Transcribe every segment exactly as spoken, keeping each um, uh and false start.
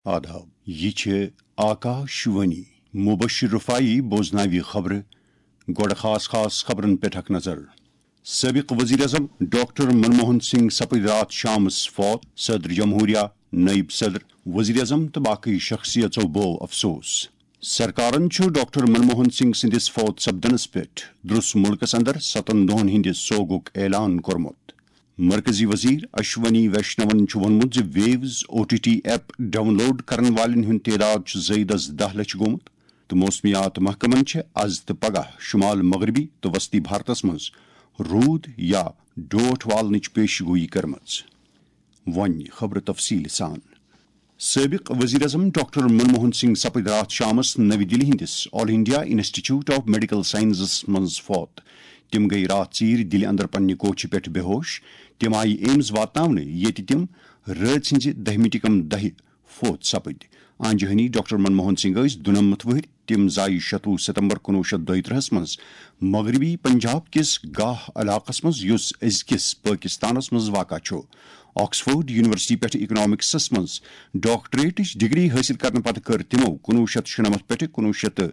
آداب، یہِ چھِ آکاش وانی۔ مبشر رفاعی بوزناوِ خبرٕ۔ گۄڈٕ خاص خاص خبرن پٮ۪ٹھ اکھ نظر۔ سٲبِق وزیر اعظم ڈاکٹر منموہن سنگھ سپٕدۍ راتھ شامس فوت۔ صدر جمہوریہ، نٲیِب صدر، وزیر اعظم تہٕ باقٕے شخصیژو بوو افسوس۔ سرکارن چھُ ڈاکٹر منموہن سنگھ سٕنٛدِس فوت سپدنس پٮ۪ٹھ درٛس مُلکس اندر ستن دۄہن ہٕنٛدِ سوگُک اعلان کوٚرمُت۔ مرکزی وزیر اشونی ویشنون چھُ ووٚنمُت زِ views O T T app download کرن والٮ۪ن ہُنٛد تعداد چھُ زٲیدس دَہ لچھ گوٚمُت تہٕ موسمیات محکمن چھِ از تہٕ پگاہ شمال مغربی تہٕ وسطی بھارتس منٛز روٗد یا ڈوٹھ والنٕچ پیشگویی کٔرمٕژ۔ وۄنۍ خبرٕ تفصیٖل سان۔ سٲبِق وزیر اعظم ڈاکٹر منموہن سنگھ سپٕدۍ راتھ شامس نٔوِ دِلہِ ہٕنٛدِس all India institute of medical sciences منٛز فوت۔ تِم گٔیہِ راتھ ژیٖرۍ دِلہِ اندر پننہِ کوٹھہِ پٮ۪ٹھ بے ہوش۔ تِم آیہِ ایمز واتناونہٕ، ییٚتہِ تِم رٲژ ہٕنٛزِ دَہہِ مِنٹہِ کم دَہہِ فوت سپٕدۍ۔ آنجہانی ڈاکٹر منموہن سنگھ ٲسۍ دُنمتھ وُہٕرۍ۔ تِم زایہِ شتوُہ ستمبر کُنوُہ شیٚتھ دۄیہِ ترٕٛہس منٛز مغربی پنجاب کِس گاہ علاقس منٛز، یُس أزکِس پٲکستانس منٛز واقع چھُ۔ آکسفورڈ یونیورسٹی پٮ۪ٹھٕ اکنامکسس منٛز ڈاکٹریٹٕچ ڈگری حٲصِل کرنہٕ پتہٕ کٔر تِمو کُنوُہ شیٚتھ شُنمتھ پٮ۪ٹھٕ کُنوُہ شیٚتھ تہٕ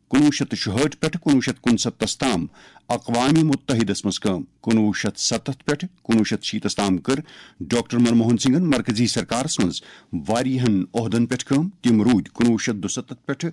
کُنوُہ شیٚتھ تہٕ شُہٲٹھ پٮ۪ٹھٕ کُنوُہ شیٚتھ کُنسَتتھس تام اقوام متحدس منٛز کٲم۔ کُنوُہ شیٚتھ ستتھ پٮ۪ٹھٕ کُنوُہ شیٚتھ شیٖتس تام کٔر ڈاکٹر منموہن سنگھن مرکزی سرکارس منٛز واریاہن عہدن پٮ۪ٹھ کٲم۔ تِم روٗدۍ کُنوُہ شیٚتھ دُسَتتھ پٮ۪ٹھٕ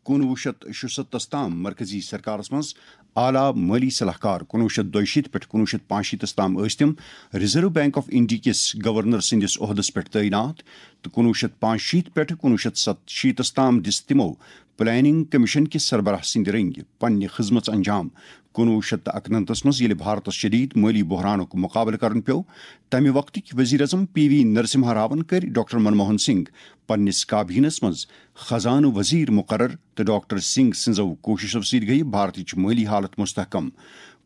کُنوُہ شیٚتھ شُسَتتھس تام مرکزی سرکارس منٛز اعلیٰ مٲلی صلاح کار۔ کُنوُہ شیٚتھ دۄیہِ شیٖتھ پٮ۪ٹھ کُنوُہ شیٚتھ پانٛژھ شیٖتس تام ٲسۍ تِم ریزرو بینک آف انڈیا کِس گورنر سٕنٛدِس عہدس پٮ۪ٹھ تعینات تہٕ کُنوُہ شیٚتھ پانٛژھ شیٖتھ پٮ۪ٹھٕ کُنوُہ شیٚتھ ستشیٖتس تام دِژ تِمو پلاننگ کمیشن کِس سربراہ سٕنٛدِ رٔنگۍ پننہِ خدمژ انجام۔ کُنوُہ شیٚتھ تہٕ اَکنَمتھس منٛز ییٚلہِ بھارتس شدید مٲلی بحرانُک مقابلہٕ کرُن پیوٚو، تمہِ وقتٕکۍ وزیر اعظم پی وی نرسمہا راون کٔرۍ ڈاکٹر منموہن سنگھ پننِس کابینس منٛز خزانہٕ وزیر مقرر تہٕ ڈاکٹر سنگھ سٕنٛزو کوٗششو سۭتۍ گٔیہِ بھارتٕچ مٲلی حالت مستحکم۔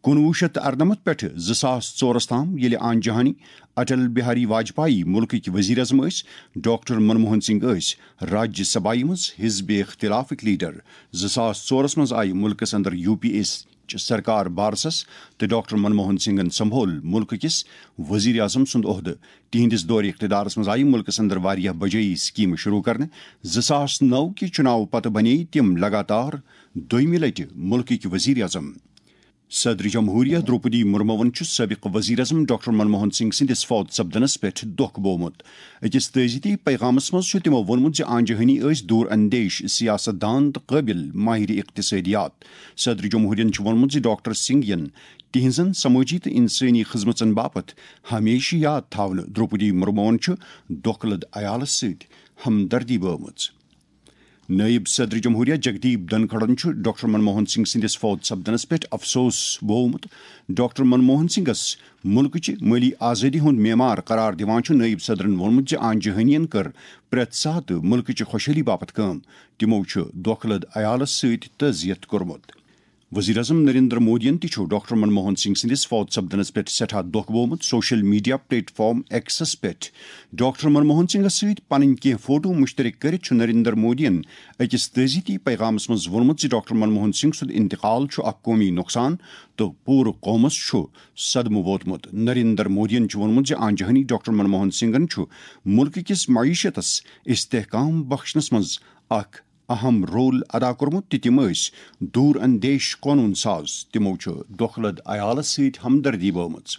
کُنوُہ شیٚتھ تہٕ اَرنَمتھ پٮ۪ٹھٕ زٕ ساس ژورس تام، ییٚلہِ آنجہانی اٹل بہاری واجپایی مُلکٕکۍ وزیر اعظم ٲسۍ، ڈاکٹر منموہن سنگھ ٲسۍ راجیہ سبھایہ منٛز حزب اختلافٕکۍ لیڈر۔ زٕ ساس ژورس منٛز آیہِ مُلکس اندر یو پی اے چہِ سرکار بارسس تہٕ ڈاکٹر منموہن سنگھن سنبھول مُلکہٕ کِس وزیر اعظم سُنٛد عہدٕ۔ تِہنٛدِس دورِ اقتدارس منٛز آیہِ مُلکس اندر واریاہ بجٲیی سکیمہٕ شروع کرنہٕ۔ زٕ ساس نَو کہِ چُناوٕ پتہٕ بنے تِم لگاتار دوٚیمہِ لٹہِ مُلکٕکۍ وزیر اعظم۔ صدر جمہوریہ درٛوپدی مرموَن چھُ سٲبِق وزیر اعظم ڈاکٹر منموہن سنگھ سٕنٛدِس فوت سپدنس پٮ۪ٹھ دۄکھ بوومُت۔ أکِس تعزیتی پیغامس منٛز چھُ تِمو ووٚنمُت زِ آنجہانی ٲسۍ دوٗر اندیش، سیاست دان تہٕ قٲبِل ماہر اقتصٲدیات۔ صدر جمہوریہن چھُ ووٚنمُت زِ ڈاکٹر سنگھ یِن تِہنٛزن سمٲجی تہٕ انسٲنی خدمژن باپتھ ہمیشہٕ یاد تھاونہٕ۔ درٛوپدی مرموَن چھُ دۄکھٕ لد عیالس سۭتۍ ہمدردی بٲومٕژ۔ نٲیِب صدر جمہوریہ جگدیپ دھنکھڑن چھُ ڈاکٹر منموہن سنگھ سٕنٛدِس فوت سپدنس پٮ۪ٹھ افسوس بوومُت۔ ڈاکٹر منموہن سنگھس مُلکٕچہِ مٲلی آزٲدی ہُنٛد معمار قرار دِوان چھُ نٲیِب صدرن ووٚنمُت زِ آنجہانین کٔر پرٛٮ۪تھ ساتہٕ مُلکٕچہِ خۄشحٲلی باپتھ کٲم۔ تِمو چھُ دۄکھٕ لد عیالس سۭتۍ تعزیت کوٚرمُت۔ وزیر اعظم نریندر مودیَن تہِ چھُ ڈاکٹر منموہن سنگھ سٕنٛدِس فوت سپدنس پٮ۪ٹھ سٮ۪ٹھاہ دۄکھ بوومُت۔ سوشل میڈیا پلیٹ فارم ایکسس پٮ۪ٹھ ڈاکٹر منموہن سنگھس سۭتۍ پنٕنۍ کینٛہہ فوٹو مشترک کٔرِتھ چھُ نریندر مودیَن أکِس تعزیتی پیغامس منٛز ووٚنمُت زِ ڈاکٹر منموہن سنگھ سُنٛد انتقال چھُ اکھ قومی نۄقصان تہٕ پوٗرٕ قومس چھُ صدمہٕ ووتمُت۔ نریندر مودیَن چھُ ووٚنمُت زِ آنجہانی ڈاکٹر منموہن سنگھن چھُ مُلکہٕ کِس معیشتس استحکام بخشنس منٛز اکھ اہم رول ادا کوٚرمُت تہٕ تِم ٲسۍ دوٗر اندیش قونوٗن ساز۔ تِمو چھُ دۄکھٕ لد عیالس سۭتۍ ہمدردی بٲومٕژ۔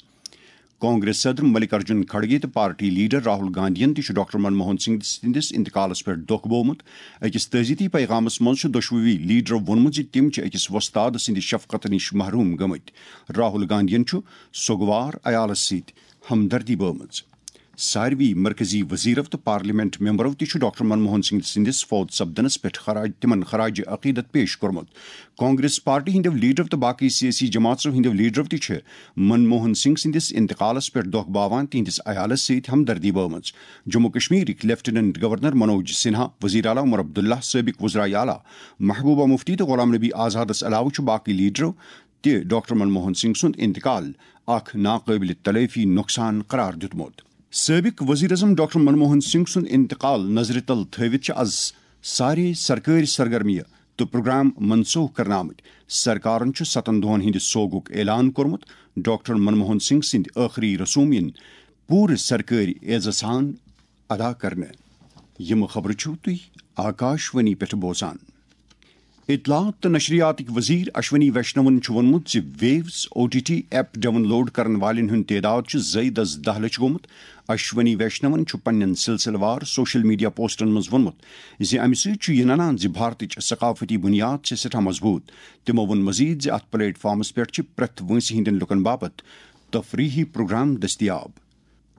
کانگریس صدر ملک ارجن کھڑگے تہٕ پارٹی لیڈر راہل گاندھین تہِ چھُ ڈاکٹر منموہن سنگھ سٕنٛدِس انتقالس پٮ۪ٹھ دۄکھ بوومُت۔ أکِس تعزیتی پیغامس منٛز چھُ دۄشوٕے لیڈرو ووٚنمُت زِ تِم چھِ أکِس وۄستاد سٕنٛدِ شفقتہٕ نِش محروم گٔمٕتۍ۔ راہل گاندھین چھُ سوگوار عیالس سۭتۍ ہمدردی بٲومٕژ۔ ساروی مرکزی وزیرو تہٕ پارلیمنٹ ممبرو تہِ چھُ ڈاکٹر منموہن سنگھ سٕنٛدِس فوت سپدنس پٮ۪ٹھ خراج، تِمن خراج عقیدت پیش کوٚرمُت۔ کانگریس پارٹی ہٕنٛدیو لیڈرو تہٕ باقٕے سیٲسی جماژو ہٕنٛدیو لیڈرو تہِ چھِ منموہن سنگھ سٕنٛدِس انتقالس پٮ۪ٹھ دۄکھ باوان تِہنٛدِس عیالس سۭتۍ ہمدردی بٲومٕژ۔ جموں کشمیرٕکۍ لیفٹیننٹ گورنر منوج سنہا، وزیر اعلیٰ عمر عبداللہ، سٲبق وزرائے اعلیٰ محبوبہ مفتی تہٕ غلام نبی آزادس علاوٕ چھُ باقٕے لیڈرو تہِ ڈاکٹر منموہن سنگھ سُنٛد انتقال اکھ ناقٲبل تلٲفی نۄقصان قرار دیُتمُت۔ سٲبق وزیر اعظم ڈاکٹر منموہن سنگھ سُنٛد انتقال نظرِ تل تھٲوِتھ چھِ از سارے سرکٲرۍ سرگرمیہِ تہٕ پروگرام منسوخ کرنہٕ آمٕتۍ۔ سرکارن چھُ ستن دۄہن ہٕنٛدِ سوگُک اعلان کوٚرمُت۔ ڈاکٹر منموہن سنگھ سٕنٛدۍ ٲخری رسوم یِن پوٗرٕ سرکٲرۍ اعزازٕ سان ادا کرنہٕ۔ یِم خبرٕ چھِو تُہۍ آکاشوانی پٮ۪ٹھ بوزان۔ اطلاعات تہٕ نشریاتٕکۍ وزیر اشونی ویشنون چھُ ووٚنمُت زِ views O T T app download کرن والٮ۪ن ہُنٛد تعداد چھُ زٲیدس دَہ لچھ گوٚمُت۔ اشونی ویشنون چھُ پننٮ۪ن سلسلہٕ وار سوشل میڈیا پوسٹن منٛز ووٚنمُت زِ امہِ سۭتۍ چھُ یہِ ننان زِ بھارتٕچ ثقافتی بُنیاد چھِ سٮ۪ٹھاہ مضبوٗط۔ تِمو ووٚن مزید زِ اتھ پلیٹ فارمس پٮ۪ٹھ چھِ پرٛٮ۪تھ وٲنٛسہِ ہٕنٛدٮ۪ن لوٗکن باپتھ تفریحی پروگرام دٔستیاب۔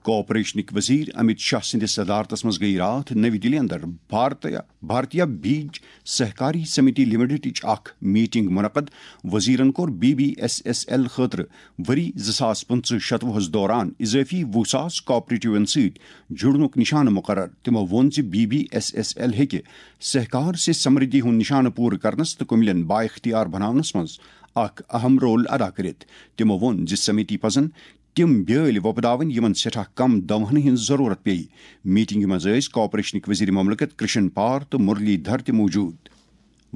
کوآپریشنٕکۍ وزیر امت شاہ سٕنٛدِس صدارتس منٛز گٔیہِ راتھ نٔوۍ دِلہِ اندر بھارتیا، بھارتیا بیج سہکاری سمتی لمیٹڈٕچ اکھ میٹنگ منعقد۔ وزیرن کوٚر B B S S L خٲطرٕ ؤری زٕ ساس پٕنٛژٕہ شتوُہس دوران اضٲفی وُہ ساس کوآپریٹیون سۭتۍ جُڑنُک نشانہٕ مقرر۔ تِمو ووٚن زِ B B S S L ہیٚکہِ سہکار سے سمردھی ہُنٛد نشانہٕ پوٗرٕ کرنس تہٕ کُمِلٮ۪ن بااختیار بناونس منٛز اکھ اہم رول ادا کٔرِتھ۔ تِمو ووٚن زِ سمتی پزن تِم بیٲلۍ وۄپداوٕنۍ یِمن سٮ۪ٹھاہ کم دوہن ہٕنٛز ضروٗرت پیٚیہِ۔ میٹنگہِ منٛز ٲسۍ کوآپریشنٕکۍ وزیر مملکت کرشن پار تہٕ مرلی دھر تہِ موجود۔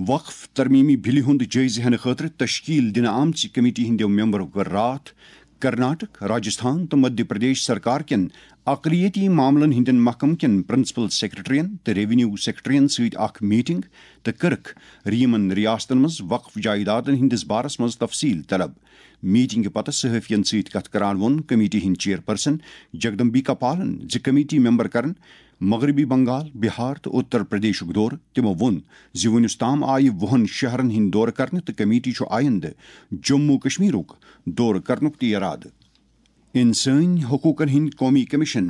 وقف ترمیمی بلہِ ہُنٛد جٲیزٕ ہٮ۪نہٕ خٲطرٕ تشکیل دِنہٕ آمژِ کمیٹی ہٕنٛدیو ممبرو کٔر راتھ کرناٹک، راجستھان تہٕ مدھیہ پردیش سرکار کٮ۪ن اقلیتی معاملن ہٕنٛدٮ۪ن محکمہٕ کٮ۪ن پرنسپل سیکرٹرین تہٕ ریونیو سیکرٹرین سۭتۍ اکھ میٹنگ تہٕ کٔرٕکھ یِمن ریاستن منٛز وقف جائیدادن ہٕنٛدِس بارس منٛز تفصیل طلب۔ میٹنگہِ پتہٕ صحافین سۭتۍ کتھ کران ووٚن کمیٹی ہٕنٛدۍ چیئرپرسن جگدمبیکا پالن زِ کمیٹی ممبر کرن مغربی بنگال، بہار تہٕ اتر پردیشُک دورٕ۔ تِمو ووٚن زِ وُنیُس تام آیہِ وُہن شہرن ہٕنٛدۍ دورٕ کرنہٕ تہٕ کمیٹی چھُ آیندٕ جموں کشمیرُک دورٕ کرنُک تہِ ارادٕ۔ انسٲنی حقوقن ہٕنٛدۍ قومی commission,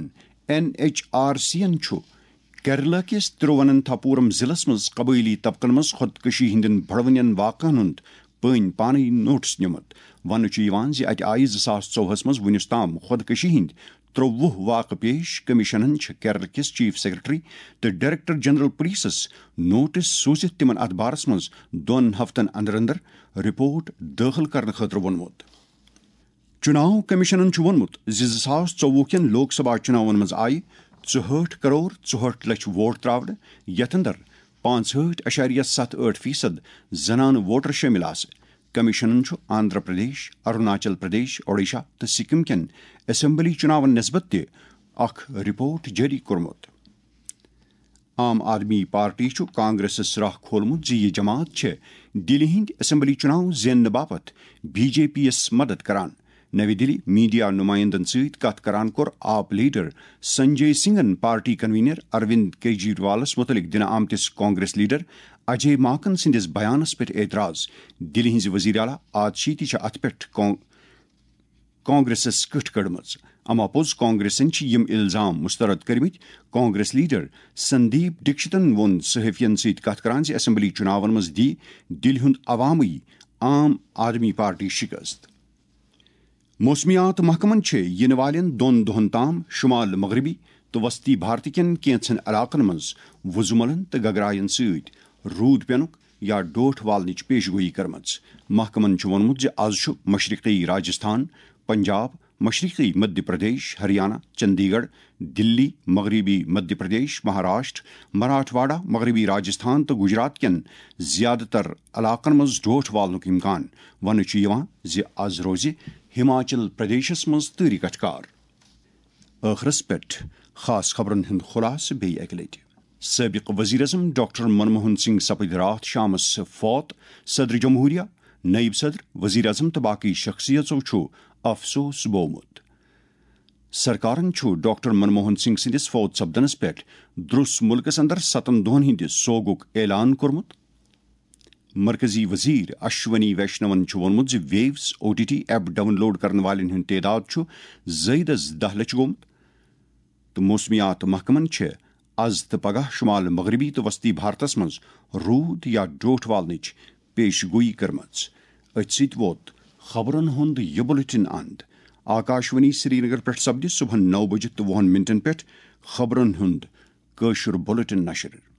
N H R C ین، چھُ کیرلا کِس ترووننتھاپورم ضلعس منٛز قبٲئلی طبقن منٛز خودکشی ہٕنٛدٮ۪ن بڑوٕنٮ۪ن واقعن ہُنٛد پٲنۍ پانے نوٹس نِمُت۔ وننہٕ چھُ یِوان زِ اتہِ آیہِ زٕ ساس ژوٚوُہس منٛز وُنیُس تام خودکشی ہٕنٛدۍ ترٛوٚوُہ واقعہٕ پیش۔ کمیشنن چھِ کیرلا کِس چیف سیکرٹری تہٕ ڈائریکٹر جنرل پولیسس نوٹس سوٗزِتھ تِمن اتھ بارس منٛز دۄن ہفتن اندر اندر رپورٹ دٲخل کرنہٕ خٲطرٕ ووٚنمُت۔ چُناو کمیشنن چھُ ووٚنمُت زِ زٕ ساس ژوٚوُہ کٮ۪ن لوک سبھا چُناون منٛز آیہِ ژُہٲٹھ کرور ژُہٲٹھ لچھ ووٹ تراونہٕ، یتھ اندر پانٛژہٲٹھ اعشاریہ ستھ ٲٹھ فیصد زنانہٕ ووٹر شٲمِل آسہٕ۔ کمیشنن چھُ آندھرا پردیش، اروناچل پردیش، اوڈیشہ تہٕ سکم کٮ۪ن اسمبلی چُناون نسبت تہِ اکھ رپورٹ جٲری کوٚرمُت۔ عام آدمی پارٹی چھُ کانگریسس راہ کھولمُت زِ یہِ جماعت چھِ دِلہِ ہٕنٛدۍ اسمبلی چُناو زیننہٕ باپتھ بی جے پی یَس مدد کران۔ نَوِ دِلہِ میڈیا نمائندن سۭتۍ کتھ کران کوٚر آپ لیڈر سنجے سنگھن پارٹی کنوینر اروند کیجریوالس مُتعلق دِنہٕ آمتِس کانگریس لیڈر اجے ماکن سٕنٛدِس بیانس پٮ۪ٹھ اعتراض۔ دِلہِ ہٕنٛزِ وزیر اعلیٰ آتشی تہِ چھِ اتھ پٮ۪ٹھ کان-، کانگریسس کٕٹھ کٔڑمٕژ۔ اما پوٚز کانگریسن چھِ یِم الزام مسترد کٔرمٕتۍ۔ کانگریس لیڈر سندیپ ڈکشتن ووٚن صحافین سۭتۍ کتھ کران زِ اسمبلی چُناون منٛز دی دِلہِ ہُنٛد عوامٕے عام آدمی پارٹی شکست۔ موسمیات محکمن چھِ یِنہٕ والٮ۪ن دۄن دۄہن تام شمال مغربی تہٕ وسطی بھارت کٮ۪ن کینٛژن علاقن منٛز وُزملن تہٕ گگراین سۭتۍ روٗد پینُک یا ڈوٹھ والنٕچ پیش گویی کٔرمٕژ۔ محکمن چھُ ووٚنمُت زِ از چھُ مشرقی راجستھان، پنجاب، مشرقی مدھیہ پردیش، ہریانہ، چندی گڑھ، دلی، مغربی مدھیہ پردیش، مہاراشٹر، مراٹھواڑہ، مغربی راجستھان تہٕ گجرات کٮ۪ن زیادٕ تر علاقن منٛز ڈوٹھ والنُک امکان۔ وننہٕ چھُ یِوان زِ از روزِ ہماچل پردیشس منٛز تۭرِ کٹھکار۔ ٲخرس پٮ۪ٹھ خاص خبرن ہُنٛد خلاصہٕ بیٚیہِ اکہِ لٹہِ۔ سٲبق وزیر اعظم ڈاکٹر منموہن سنگھ سپٕدۍ راتھ شامس فوت۔ صدر جمہوریہ، نائب صدر، وزیر اعظم تہٕ باقی شخصیژو چھُ افسوس بوومُت۔ سرکارن چھُ ڈاکٹر منموہن سنگھ سٕنٛدِس فوت سپدنس پٮ۪ٹھ درس ملکس اندر ستن دۄہن ہٕنٛدِ سوگُک اعلان کوٚرمُت۔ مرکزی وزیر اشونی ویشنون چھُ ووٚنمُت زِ views O T T app download کرن والٮ۪ن ہُنٛد تعداد چھُ زٲیدس دَہ لچھ گوٚمُت تہٕ موسمیات محکمن چھِ از تہٕ پگاہ شمال مغربی تہٕ وسطی بھارتس منٛز روٗد یا ڈوٹھ والنٕچ پیش گویی کٔرمٕژ۔ أتھۍ سۭتۍ ووت خبرن ہُنٛد یہِ بلیٹن اند۔ آکاشوانی سرینگر پٮ۪ٹھ سپدِ صبحن نو بجہِ تہٕ وُہن منٹن پٮ۪ٹھ خبرن ہُنٛد کٲشُر بلیٹن نشر۔